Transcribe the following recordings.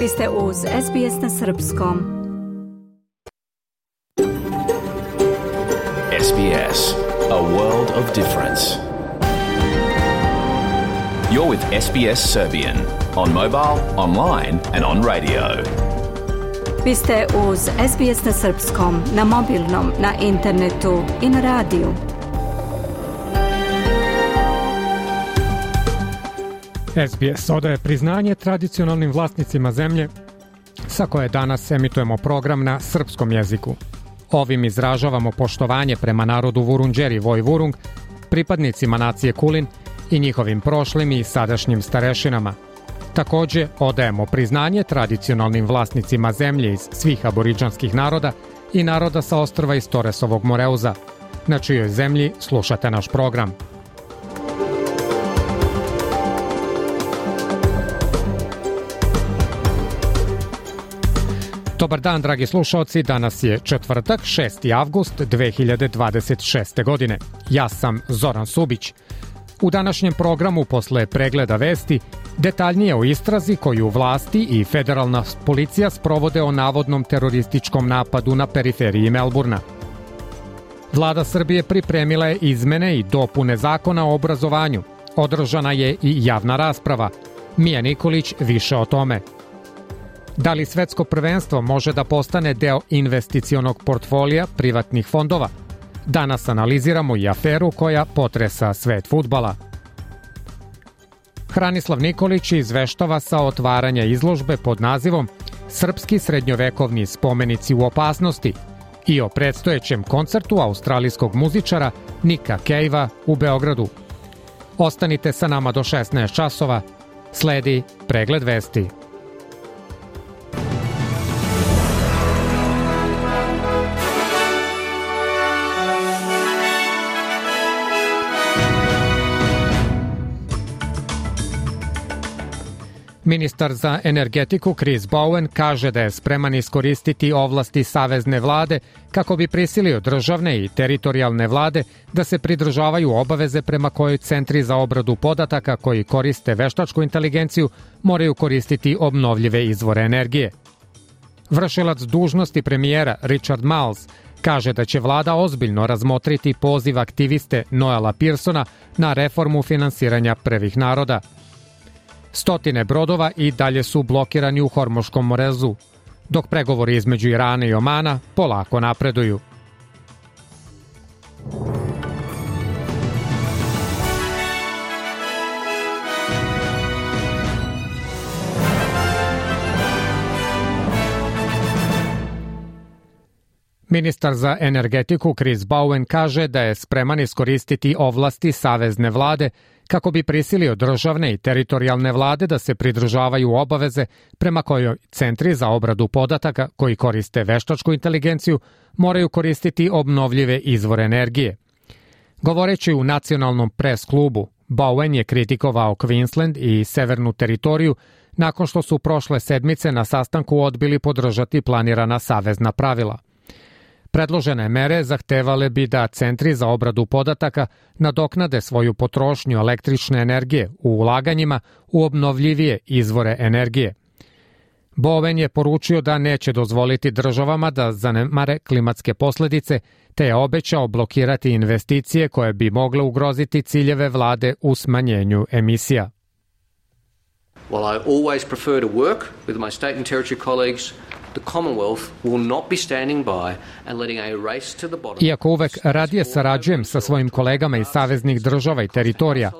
Vi ste uz SBS na srpskom. SBS, a world of difference. You're with SBS Serbian on mobile, online and on radio. Vi ste uz SBS na srpskom, na mobilnom, na internetu i na radiju. SBS odaje priznanje tradicionalnim vlasnicima zemlje sa koje danas emitujemo program na srpskom jeziku. Ovim izražavamo poštovanje prema narodu Vurundjeri Vojvurung, pripadnicima nacije Kulin i njihovim prošlim i sadašnjim starešinama. Takođe, odajemo priznanje tradicionalnim vlasnicima zemlje iz svih aboridžanskih naroda i naroda sa ostrva iz Toresovog Moreuza, na čijoj zemlji slušate naš program. Dobar dan, dragi slušaoci, danas je četvrtak, 6. avgust 2026. godine. Ja sam Zoran Subić. U današnjem programu, posle pregleda vesti, detaljnije o istrazi koju vlasti i federalna policija sprovode o navodnom terorističkom napadu na periferiji Melburna. Vlada Srbije pripremila je izmene i dopune zakona o obrazovanju. Održana je i javna rasprava. Mija Nikolić više o tome. Da li svetsko prvenstvo može da postane deo investicionog portfolija privatnih fondova? Danas analiziramo i aferu koja potresa svet fudbala. Hranislav Nikolić izveštava sa otvaranja izložbe pod nazivom Srpski srednjovekovni spomenici u opasnosti i o predstojećem koncertu australijskog muzičara Nika Cavea u Beogradu. Ostanite sa nama do 16 časova. Sledi pregled vesti. Ministar za energetiku Chris Bowen kaže da je spreman iskoristiti ovlasti savezne vlade kako bi prisilio državne i teritorijalne vlade da se pridržavaju obaveze prema kojoj centri za obradu podataka koji koriste veštačku inteligenciju moraju koristiti obnovljive izvore energije. Vršilac dužnosti premijera Richard Marles kaže da će vlada ozbiljno razmotriti poziv aktiviste Noela Pearsona na reformu finansiranja prvih naroda. Stotine brodova i dalje su blokirani u Hormuškom morezu, dok pregovori između Irana i Omana polako napreduju. Ministar za energetiku Chris Bowen kaže da je spreman iskoristiti ovlasti savezne vlade kako bi prisilio državne i teritorijalne vlade da se pridržavaju obaveze prema kojoj centri za obradu podataka koji koriste veštačku inteligenciju moraju koristiti obnovljive izvore energije. Govoreći u nacionalnom pres klubu, Bowen je kritikovao Queensland i severnu teritoriju nakon što su prošle sedmice na sastanku odbili podržati planirana savezna pravila. Predložene mere zahtevale bi da centri za obradu podataka nadoknade svoju potrošnju električne energije u ulaganjima u obnovljivije izvore energije. Bowen je poručio da neće dozvoliti državama da zanemare klimatske posledice, te je obećao blokirati investicije koje bi mogle ugroziti ciljeve vlade u smanjenju emisija. While I always prefer to work with my state and territory colleagues, the Commonwealth will not be standing by and letting a race to the bottom. Iako uvek radije sarađujem sa svojim kolegama iz saveznih država i teritorija,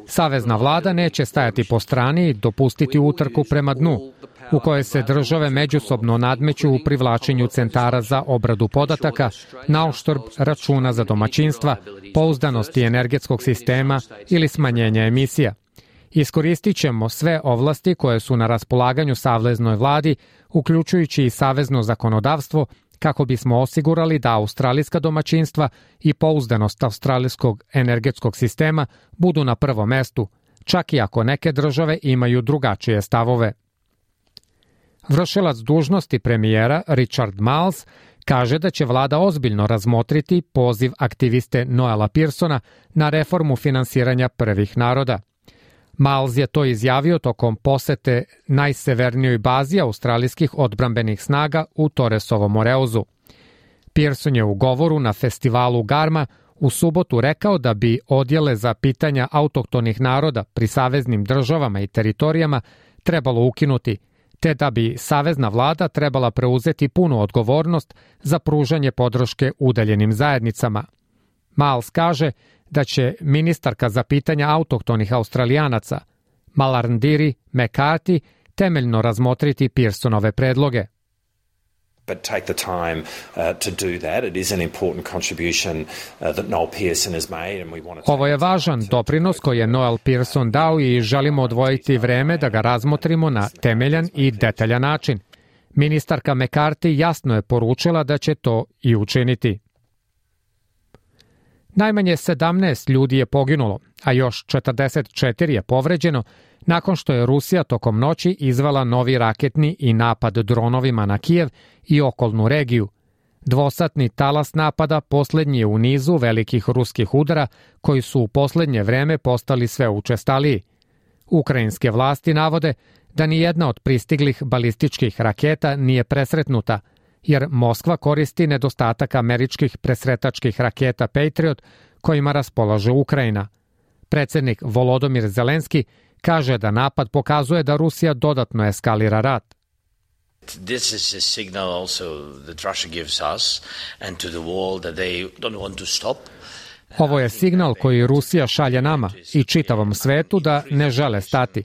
savezna vlada neće stajati po strani i dopustiti utrku prema dnu, u kojoj se države međusobno nadmeću u privlačenju centara za obradu podataka na uštrb računa za domaćinstva, pouzdanosti energetskog sistema ili smanjenja emisija. Iskoristit ćemo sve ovlasti koje su na raspolaganju saveznoj vladi, uključujući i savezno zakonodavstvo, kako bismo osigurali da australijska domaćinstva i pouzdanost australijskog energetskog sistema budu na prvom mestu, čak i ako neke države imaju drugačije stavove. Vršilac dužnosti premijera Richard Marles kaže da će vlada ozbiljno razmotriti poziv aktiviste Noela Pearsona na reformu finansiranja prvih naroda. Miles je to izjavio tokom posete najsevernijoj bazi australijskih odbrambenih snaga u Torresovom Moreuzu. Pearson je u govoru na festivalu Garma u subotu rekao da bi odjele za pitanja autohtonih naroda pri saveznim državama i teritorijama trebalo ukinuti, te da bi savezna vlada trebala preuzeti punu odgovornost za pružanje podrške udaljenim zajednicama. Miles kaže da će ministarka za pitanja autohtonih Australijanaca Malarndirri McCarthy temeljno razmotriti Pearsonove predloge. But take the time to do that. It is an important contribution that Noel Pearson has made and we want to. Ovo je važan doprinos koji je Noel Pearson dao i želimo odvojiti vreme da ga razmotrimo na temeljan i detaljan način. Ministarka McCarthy jasno je poručila da će to i učiniti. Najmanje 17 ljudi je poginulo, a još 44 je povređeno nakon što je Rusija tokom noći izvela novi raketni i napad dronovima na Kijev i okolnu regiju. Dvosatni talas napada poslednji je u nizu velikih ruskih udara koji su u poslednje vreme postali sve učestaliji. Ukrajinske vlasti navode da ni jedna od pristiglih balističkih raketa nije presretnuta, jer Moskva koristi nedostatak američkih presretačkih raketa Patriot kojima raspolaže Ukrajina. Predsednik Volodymyr Zelenski kaže da napad pokazuje da Rusija dodatno eskalira rat. This is a signal also that Russia gives us and to the world that they don't want to stop. Ovo je signal koji Rusija šalje nama i čitavom svetu da ne žele stati.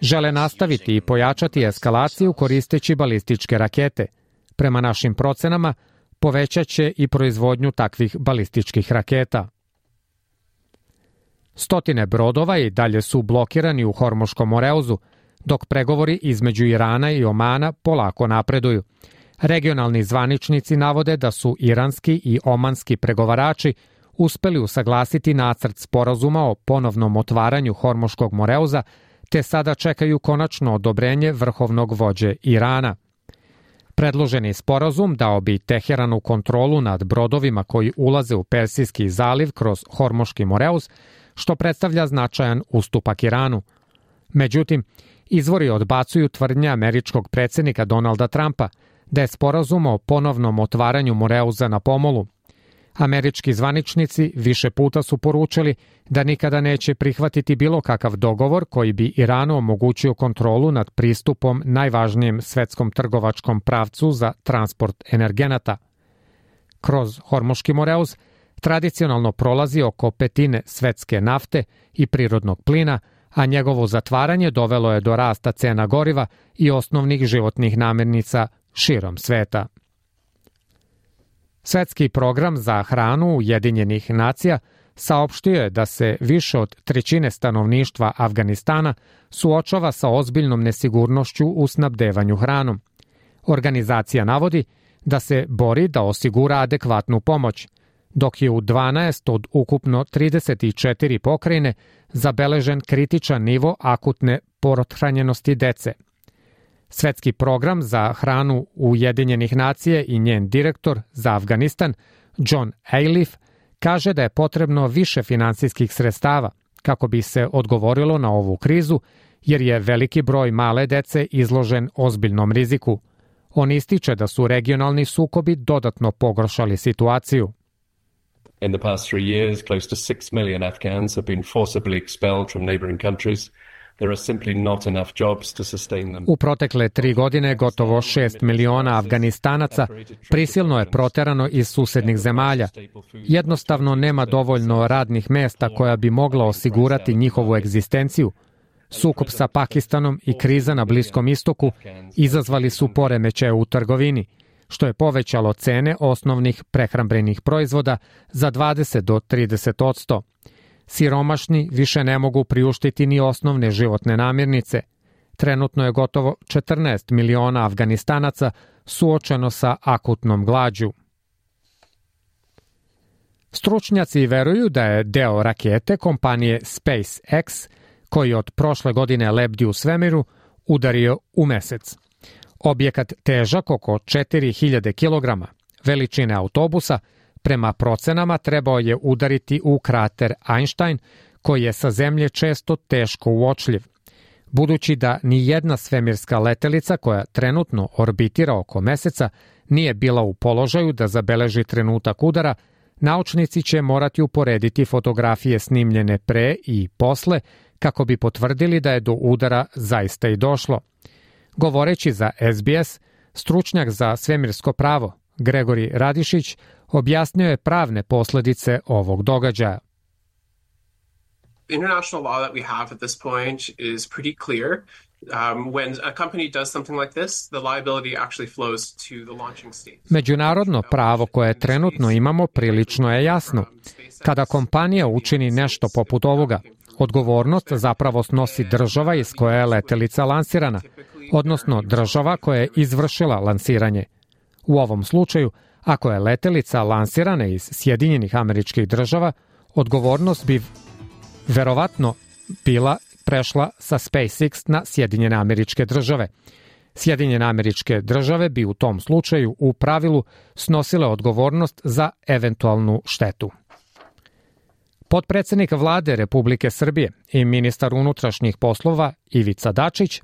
Žele nastaviti i pojačati eskalaciju koristeći balističke rakete. Prema našim procenama, povećat će i proizvodnju takvih balističkih raketa. Stotine brodova i dalje su blokirani u Hormuškom Moreuzu, dok pregovori između Irana i Omana polako napreduju. Regionalni zvaničnici navode da su iranski i omanski pregovarači uspeli usaglasiti nacrt sporazuma o ponovnom otvaranju Hormuškog Moreuza, te sada čekaju konačno odobrenje vrhovnog vođe Irana. Predloženi sporazum dao bi Teheranu kontrolu nad brodovima koji ulaze u Persijski zaliv kroz Hormuški Moreuz, što predstavlja značajan ustupak Iranu. Međutim, izvori odbacuju tvrdnje američkog predsednika Donalda Trumpa da je sporazum o ponovnom otvaranju Moreuza na pomolu. Američki zvaničnici više puta su poručili da nikada neće prihvatiti bilo kakav dogovor koji bi Iranu omogućio kontrolu nad pristupom najvažnijem svetskom trgovačkom pravcu za transport energenata. Kroz Hormuški Moreuz tradicionalno prolazi oko petine svetske nafte i prirodnog plina, a njegovo zatvaranje dovelo je do rasta cena goriva i osnovnih životnih namirnica širom sveta. Svetski program za hranu Ujedinjenih nacija saopštio je da se više od trećine stanovništva Afganistana suočava sa ozbiljnom nesigurnošću u snabdevanju hranom. Organizacija navodi da se bori da osigura adekvatnu pomoć, dok je u 12 od ukupno 34 pokrajine zabeležen kritičan nivo akutne pothranjenosti dece. Svetski program za hranu Ujedinjenih nacija i njen direktor za Afganistan, John Ayliffe, kaže da je potrebno više finansijskih sredstava kako bi se odgovorilo na ovu krizu, jer je veliki broj male dece izložen ozbiljnom riziku. On ističe da su regionalni sukobi dodatno pogoršali situaciju. In the past 3 years, close to 6 million Afghans have been forcibly expelled from neighboring countries. There are simply not enough jobs to sustain them. U protekle 3 godine gotovo 6 miliona Afganistanaca prisilno je proterano iz susednih zemalja. Jednostavno nema dovoljno radnih mesta koja bi mogla osigurati njihovu egzistenciju. Sukob sa Pakistanom i kriza na Bliskom istoku izazvali su poremećaje u trgovini, što je povećalo cene osnovnih prehrambenih proizvoda za 20 do 30%. Siromašni više ne mogu priuštiti ni osnovne životne namirnice. Trenutno je gotovo 14 miliona Afganistanaca suočeno sa akutnom glađu. Stručnjaci veruju da je deo rakete kompanije SpaceX, koji od prošle godine lebdi u svemiru, udario u mesec. Objekat težak oko 4000 kg, veličine autobusa, prema procenama trebao je udariti u krater Einstein, koji je sa Zemlje često teško uočljiv. Budući da ni jedna svemirska letelica koja trenutno orbitira oko Meseca nije bila u položaju da zabeleži trenutak udara, naučnici će morati uporediti fotografije snimljene pre i posle kako bi potvrdili da je do udara zaista i došlo. Govoreći za SBS, stručnjak za svemirsko pravo Gregori Radišić objasnio je pravne posledice ovog događaja. International law that we have at this point is pretty clear. When a company does something like this, the liability actually flows to the launching state. Međunarodno pravo koje trenutno imamo prilično je jasno. Kada kompanija učini nešto poput ovoga, odgovornost zapravo snosi država iz koje je letelica lansirana, odnosno država koja je izvršila lansiranje. U ovom slučaju, ako je letelica lansirana iz Sjedinjenih Američkih Država, odgovornost bi verovatno bila prešla sa SpaceX na Sjedinjene Američke Države. Sjedinjene Američke Države bi u tom slučaju u pravilu snosile odgovornost za eventualnu štetu. Potpredsednik vlade Republike Srbije i ministar unutrašnjih poslova Ivica Dačić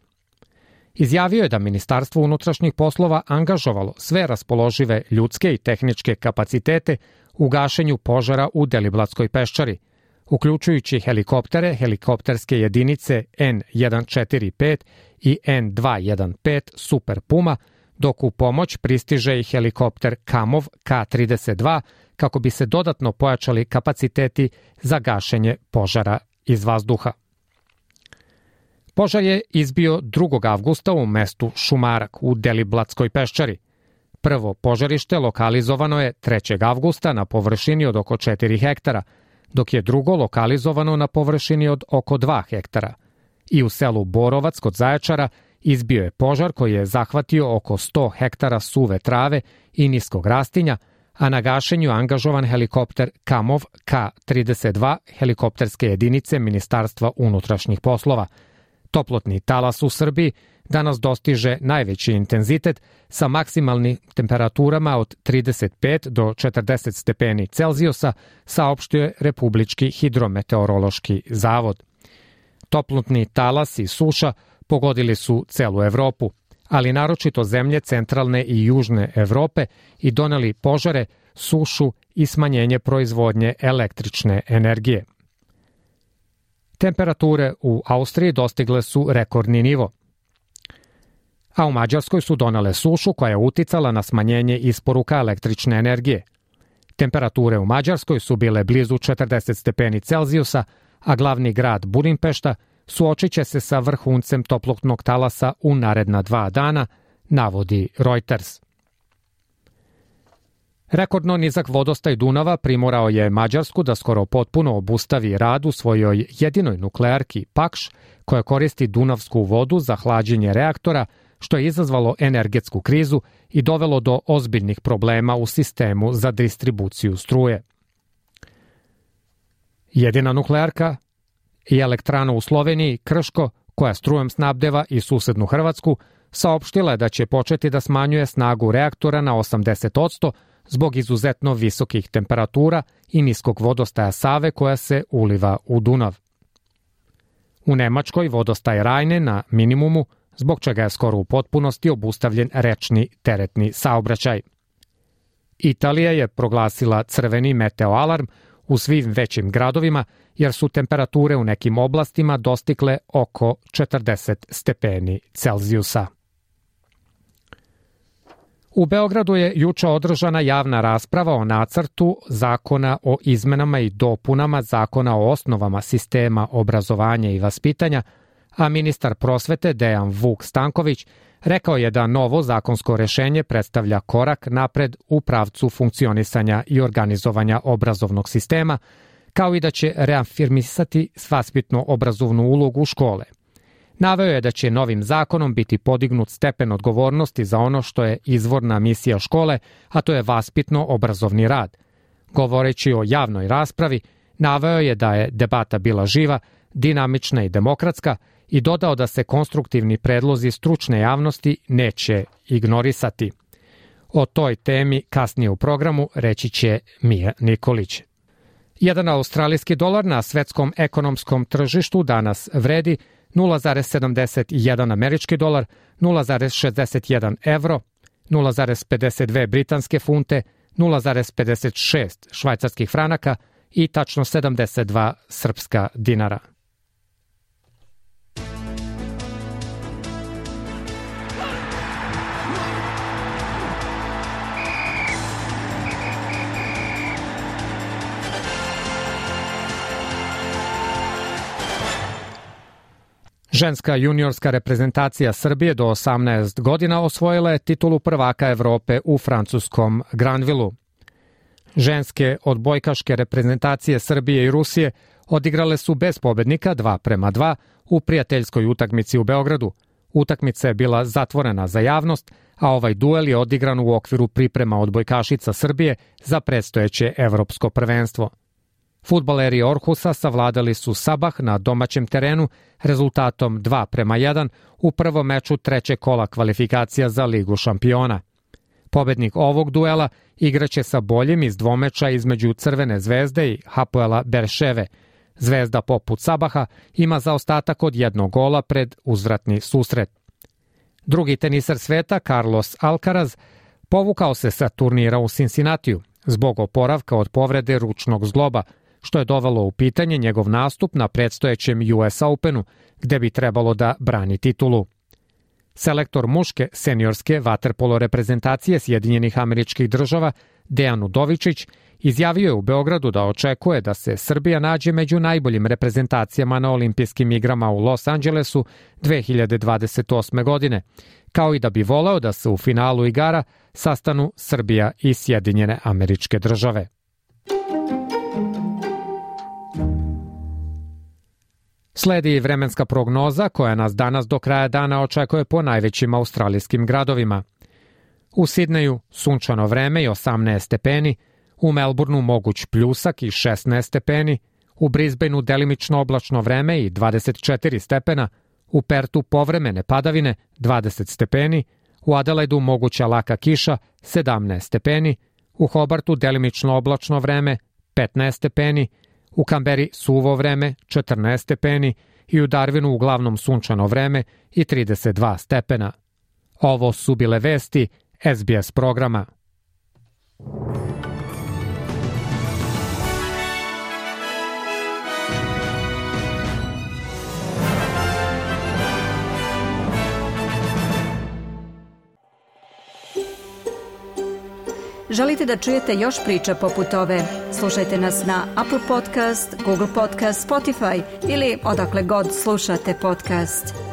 izjavio je da Ministarstvo unutrašnjih poslova angažovalo sve raspoložive ljudske i tehničke kapacitete u gašenju požara u Deliblatskoj peščari, uključujući helikoptere, helikopterske jedinice N145 i N215 Super Puma, dok u pomoć pristiže i helikopter Kamov K-32 kako bi se dodatno pojačali kapaciteti za gašenje požara iz vazduha. Požar je izbio 2. avgusta u mestu Šumarak u Deliblatskoj peščari. Prvo požarište lokalizovano je 3. avgusta na površini od oko 4 hektara, dok je drugo lokalizovano na površini od oko 2 hektara. I u selu Borovac kod Zaječara izbio je požar koji je zahvatio oko 100 hektara suve trave i niskog rastinja, a na gašenju angažovan helikopter Kamov K-32 helikopterske jedinice Ministarstva unutrašnjih poslova. Toplotni talas u Srbiji danas dostiže najveći intenzitet sa maksimalnim temperaturama od 35 do 40 stepeni Celzijusa, saopštio je Republički hidrometeorološki zavod. Toplotni talas i suša pogodili su celu Evropu, ali naročito zemlje centralne i južne Evrope i doneli požare, sušu i smanjenje proizvodnje električne energije. Temperature u Austriji dostigle su rekordni nivo, a u Mađarskoj su donele sušu koja je uticala na smanjenje isporuka električne energije. Temperature u Mađarskoj su bile blizu 40 stepeni Celzijusa, a glavni grad Budimpešta suočit će se sa vrhuncem toplotnog talasa u naredna 2 dana, navodi Reuters. Rekordno nizak vodostaj Dunava primorao je Mađarsku da skoro potpuno obustavi rad u svojoj jedinoj nuklearki Pakš, koja koristi dunavsku vodu za hlađenje reaktora, što je izazvalo energetsku krizu i dovelo do ozbiljnih problema u sistemu za distribuciju struje. Jedina nuklearka i elektrana u Sloveniji, Krško, koja strujom snabdeva i susednu Hrvatsku, saopštila je da će početi da smanjuje snagu reaktora na 80% zbog izuzetno visokih temperatura i niskog vodostaja Save koja se uliva u Dunav. U Nemačkoj vodostaj Rajne na minimumu, zbog čega je skoro u potpunosti obustavljen rečni teretni saobraćaj. Italija je proglasila crveni meteoalarm u svim većim gradovima, jer su temperature u nekim oblastima dostigle oko 40 stepeni Celzijusa. U Beogradu je juče održana javna rasprava o nacrtu zakona o izmenama i dopunama zakona o osnovama sistema obrazovanja i vaspitanja, a ministar prosvete Dejan Vuk Stanković rekao je da novo zakonsko rešenje predstavlja korak napred u pravcu funkcionisanja i organizovanja obrazovnog sistema, kao i da će reafirmisati vaspitno-obrazovnu ulogu škole. Naveo je da će novim zakonom biti podignut stepen odgovornosti za ono što je izvorna misija škole, a to je vaspitno-obrazovni rad. Govoreći o javnoj raspravi, naveo je da je debata bila živa, dinamična i demokratska i dodao da se konstruktivni predlozi stručne javnosti neće ignorisati. O toj temi kasnije u programu reći će Mija Nikolić. Jedan australijski dolar na svetskom ekonomskom tržištu danas vredi 0,71 američki dolar, 0,61 evro, 0,52 britanske funte, 0,56 švajcarskih franaka i tačno 72 srpska dinara. Ženska juniorska reprezentacija Srbije do 18 godina osvojila je titulu prvaka Evrope u francuskom Granvilu. Ženske odbojkaške reprezentacije Srbije i Rusije odigrale su bez pobednika 2:2 u prijateljskoj utakmici u Beogradu. Utakmica je bila zatvorena za javnost, a ovaj duel je odigran u okviru priprema odbojkašica Srbije za predstojeće evropsko prvenstvo. Fudbaleri Orhusa savladali su Sabah na domaćem terenu rezultatom 2:1 u prvom meču trećeg kola kvalifikacija za Ligu šampiona. Pobednik ovog duela igraće sa boljim iz dvomeča između Crvene zvezde i Hapoela Berševe. Zvezda poput Sabaha ima zaostatak od 1 gola pred uzvratni susret. Drugi tenisar sveta, Carlos Alcaraz, povukao se sa turnira u Cincinnatiju zbog oporavka od povrede ručnog zgloba, što je dovelo u pitanje njegov nastup na predstojećem US Openu, gde bi trebalo da brani titulu. Selektor muške seniorske vaterpolo reprezentacije Sjedinjenih Američkih Država, Dejan Udovičić, izjavio je u Beogradu da očekuje da se Srbija nađe među najboljim reprezentacijama na olimpijskim igrama u Los Angelesu 2028. godine, kao i da bi voleo da se u finalu igara sastanu Srbija i Sjedinjene Američke Države. Sledi vremenska prognoza koja nas danas do kraja dana očekuje po najvećim australijskim gradovima. U Sidneju sunčano vreme i 18 stepeni, u Melbourneu moguć pljusak i 16 stepeni, u Brisbaneu delimično oblačno vreme i 24 stepena, u Pertu povremene padavine 20 stepeni, u Adelaidu moguća laka kiša 17 stepeni, u Hobartu delimično oblačno vreme 15 stepeni, u Kamberi suvo vreme 14 stepeni i u Darwinu uglavnom sunčano vreme i 32 stepena. Ovo su bile vesti SBS programa. Želite da čujete još priča poput ove? Slušajte nas na Apple Podcast, Google Podcast, Spotify ili odakle god slušate podcast.